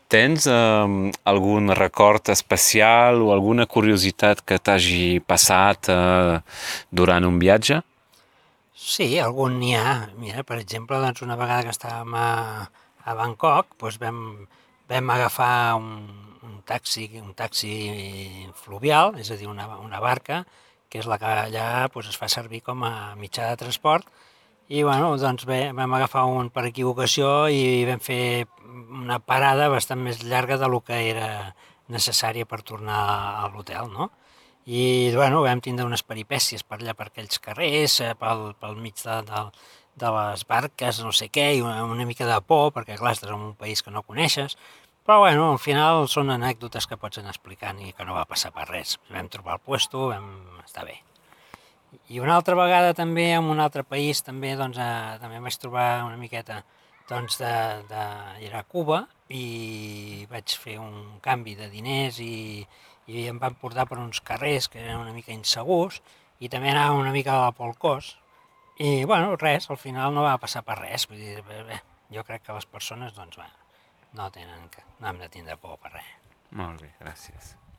Tens algun record especial o alguna curiositat que t'hagi passat durant un viatge? Sí, algun n'hi ha. Mira, per exemple, doncs una vegada que estàvem a Bangkok, doncs vam agafar un taxi fluvial, és a dir, una barca, que és la que allà doncs, es fa servir com a mitjà de transport. I bueno, doncs bé, vam agafar un per equivocació i vam fer una parada bastant més llarga de lo que era necessària per tornar a l'hotel, no? I bueno, vam tindre unes peripècies per allà, per aquells carrers, pel mig de les barques, no sé què, i una mica de por, perquè clar, estàs en un país que no coneixes, però bueno, al final són anècdotes que pots anar explicant i que no va passar per res. Vam trobar el puesto, vam estar bé. I una altra vegada també en un altre país també, doncs, també vaig trobar una miqueta doncs, era a Cuba i vaig fer un canvi de diners i em van portar per uns carrers que eren una mica insegurs i també anava una mica a la polcós i bueno, res, al final no va passar per res, vull dir, bé, jo crec que les persones doncs, no hem de tindre por per res. Molt bé, gràcies.